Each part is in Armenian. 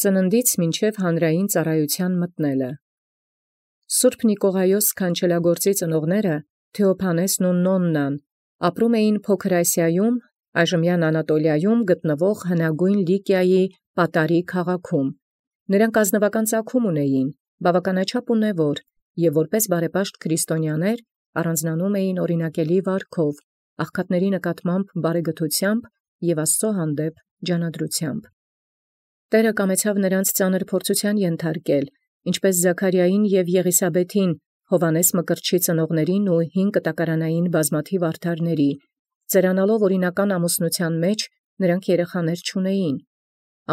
ծննդից մինչև հանրային ծառայության մտնելը։ Սուրբ Նիկողայոս քանչելագործի ծնողները Թեոփանեսն ու Նոննան ապրում էին Փոքր Ասիայում, այժմյան Անատոլիայում գտնվող հնագույն Լիկիայի Պատարի քաղաքում։ Նրանք ազնվական ծագում ունեին, բավականաչափ ունևոր, և որպես բարեպաշտ քրիստոնյաներ առանձնանում էին օրինակելի վարքով, աղքատների նկատմամբ բարեգթությամբ և Աստծո հանդեպ ջանադրությամբ։ Տէրը կամեցավ նրանց ծանր փորձութեան ենթարկել, ինչպէս Զաքարիային և Եղիսաբեթին, Հովհաննես Մկրտչի ծնողներին ու 5 կտակարանային բազմաթիվ արդարների, ծերանալով օրինական ամուսնութեան մեջ, նրանք երեխաներ չունեին։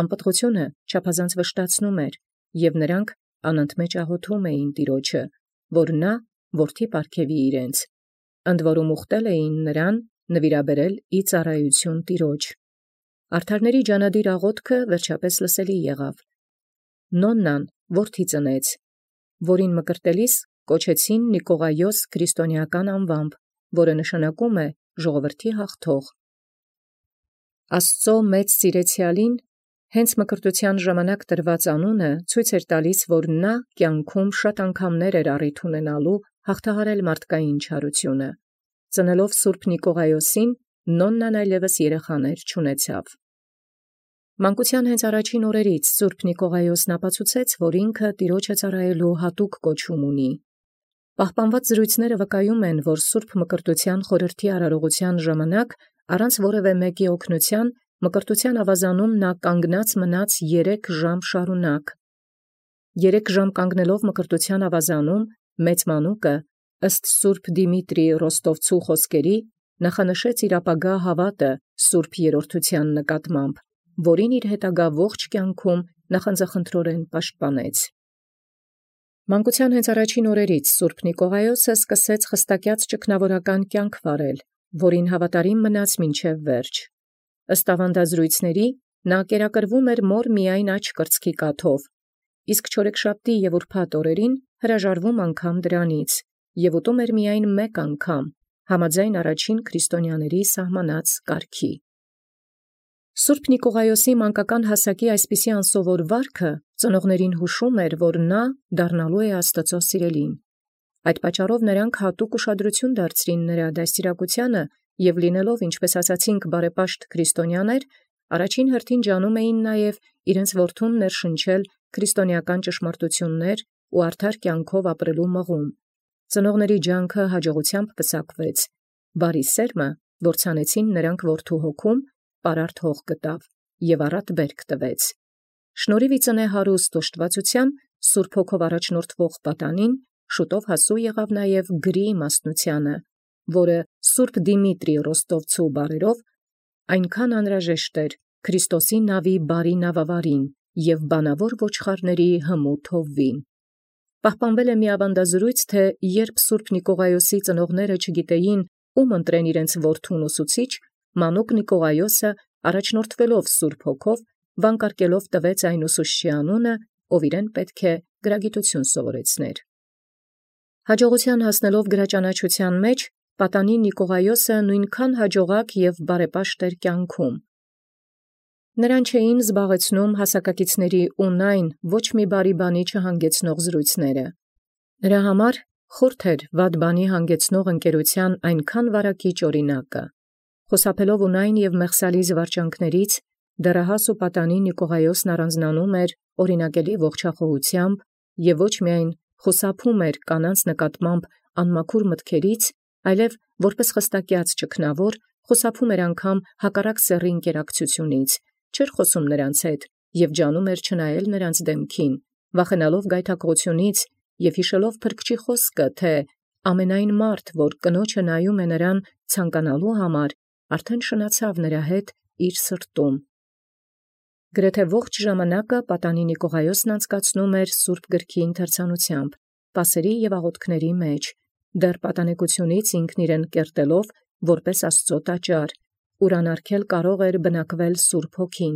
Անպտղությունը չափազանց վշտացնում էր, և նրանք անընդմեջ աղոթում էին Տիրոջը, որ նա որդի պարգևի իրենց, ընդ որում ուխտել էին նրան նվիրաբերել ի ծառայություն Տիրոջ։ Արդարների ջանադիր աղոթքը վերջապես լսելի եղավ։ Նոննան որդի ծնեց, որին մկրտելիս կոչեցին Նիկողայոս քրիստոնեական անվամբ, որը նշանակում է ժողովրդի հաղթող։ Աստծո մեծ սիրեցեալին հենց մկրտութեան ժամանակ տրված անունը ցույց էր տալիս, որ նա կյանքում շատ անգամներ էր առիթ ունենալու հաղթահարել մարդկային չարությունը։ Ծնելով Սուրբ Նիկողայոսին, Նոննան այլևս երեխաներ չունեցավ։ Մանկութեան հենց առաջին օրերից Սուրբ Նիկողայոսն ապացուցեց, որ ինքը Տիրոջը ծառայելու հատուկ կոչում ունի։ Պահպանված զրույցները վկայում են, որ Սուրբ Մկրտութեան խորհրդի արարողության ժամանակ առանց որևէ մեկի օգնության մկրտութեան ավազանում նա կանգնած մնաց 3 ժամ շարունակ։ 3 ժամ կանգնելով մկրտութեան ավազանում մեծ մանուկը ըստ Սուրբ Դիմիտրի Ռոստովցու խոսքերի նախանշեց իր ապագա հավատը Սուրբ Երրորդութեան նկատմամբ, որին իր հետագա ողջ կյանքում նախանձախնդրորեն պաշտպանեց։ Մանկութեան հենց առաջին օրերից Սուրբ Նիկողայոսը սկսեց խստակյաց ճգնավորական կյանք վարել, որին հավատարիմ մնաց մինչև վերջ։ Ըստ ավանդազրույցների նա կերակրվում էր մոր միայն աջ կրծքի կաթով, իսկ չորեքշաբթի և ուրբաթ օրերին հրաժարվում անգամ դրանից և ուտում էր միայն մեկ անգամ, համաձայն առաջին քրիստոնյաների սահմանած կարգի։ Սուրբ Նիկողայոսի մանկական հասակի այսպիսի անսովոր վարքը ծնողներին հուշում էր, որ նա դառնալու է Աստծո սիրելին։ Այդ պատճառով նրանք հատուկ ուշադրություն դարձրին նրա դաստիարակությանը և լինելով, ինչպես ասացինք, բարեպաշտ քրիստոնյաներ, առաջին հերթին ջանում էին նաև իրենց որդուն ներշնչել քրիստոնեական ճշմարտություններ ու արդար կյանքով ապրելու մղում։ Ծնողների ջանքը հաջողությամբ պսակվեց։ Բարի սերմը, որ ցանեցին նրանք որդու հոգում, պարարտ հող գտավ և առատ բերք տվեց։ Շնորհիվ ի ծնե հարուստ ուշտվածութեան Սուրբ Հոգով առաջնորդվող պատանին շուտով հասու եղավ նաև գրի իմաստնութեանը, որը Սուրբ Դիմիտրի Ռոստովցու բառերով այնքան անհրաժեշտ էր Քրիստոսի նավի բարի նավավարին և բանավոր ոչխարների հմուտ հովվին։ Պահպանվել է մի ավանդազրույց, թե երբ Սուրբ Նիկողայոսի ծնողները չգիտեին, ում ընտրեն իրենց որդուն ուսուցիչ, մանուկ Նիկողայոսը առաջնորդվելով Սուրբ Հոգով վանկարկելով տվեց այն ուսուցչի անունը, ով իրեն պետք է գրագիտություն սովորեցներ։ Հաջողության հասնելով գրաճանաչության մեջ, պատանի Նիկողայոսը նույնքան հաջողակ և բարեպաշտ էր կյանքում։ Նրան չէին զբաղեցնում հասակակիցների ունայն ոչ մի բարի բանի չհանգեցնող զրույցները։ Նրա համար խորթ էր վատ բանի հանգեցնող ընկերության այնքան վարակիչ օրինակը։ Խուսափելով ունայն և մեղսալի զվարճանքներից, դեռահաս ու պատանի Նիկողայոսն առանձնանում էր օրինակելի ողջախոհությամբ և ոչ միայն խուսափում էր կանանց նկատմամբ անմաքուր մտքերից, այլև որպես խստակյաց ճգնավոր խուսափում էր անգամ հակառակ սեռի ընկերակցությունից, չէր խոսում նրանց հետ և ջանում էր չնայել նրանց դեմքին, վախենալով գայթակղությունից և հիշելով փրկչի խոսքը, թե ամենայն մարդ, որ կնոջը նայում է նրան ցանկանալու համար, արդեն շնացավ նրա հետ իր սրտում։ Գրեթե ողջ ժամանակը պատանի Նիկողայոսն անցկացնում էր Սուրբ գրքի ընթերցանությամբ, պասերի և աղոթքների մեջ, դեռ պատանեկությունից ինքն իրեն կերտելով որպես Աստծո տաճար, ուր անարգել կարող էր բնակվել Սուրբ Հոգին։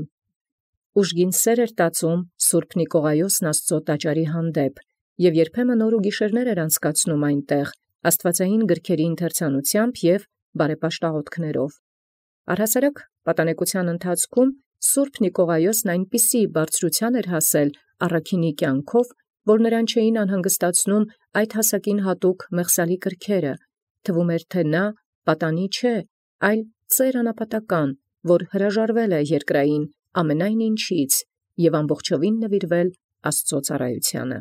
Ուժգին սեր էր տածում Սուրբ Նիկողայոսն Աստծո տաճարի հանդեպ և երբեմն օր ու գիշերներ էր անցկացնում այնտեղ աստվածային գրքերի ընթերցանությամբ և բարեպաշտ աղոթքներով։ Առհասարակ պատանեկության ընթացքում Սուրբ Նիկողայոսն այնպիսի բարձրութիան հասել առաքինի կյանքով, որ նրան չէին անհանգստացնում այդ հասակին հատուկ մեղսալի կրքերը, թվում էր թէ նա պատանի չէ, այլ ծեր անապատական, որ հրաժարվել է երկրային ամենայն ինչից և ամբողջովին նվիրվել Աստուծոյ ծառայութենե։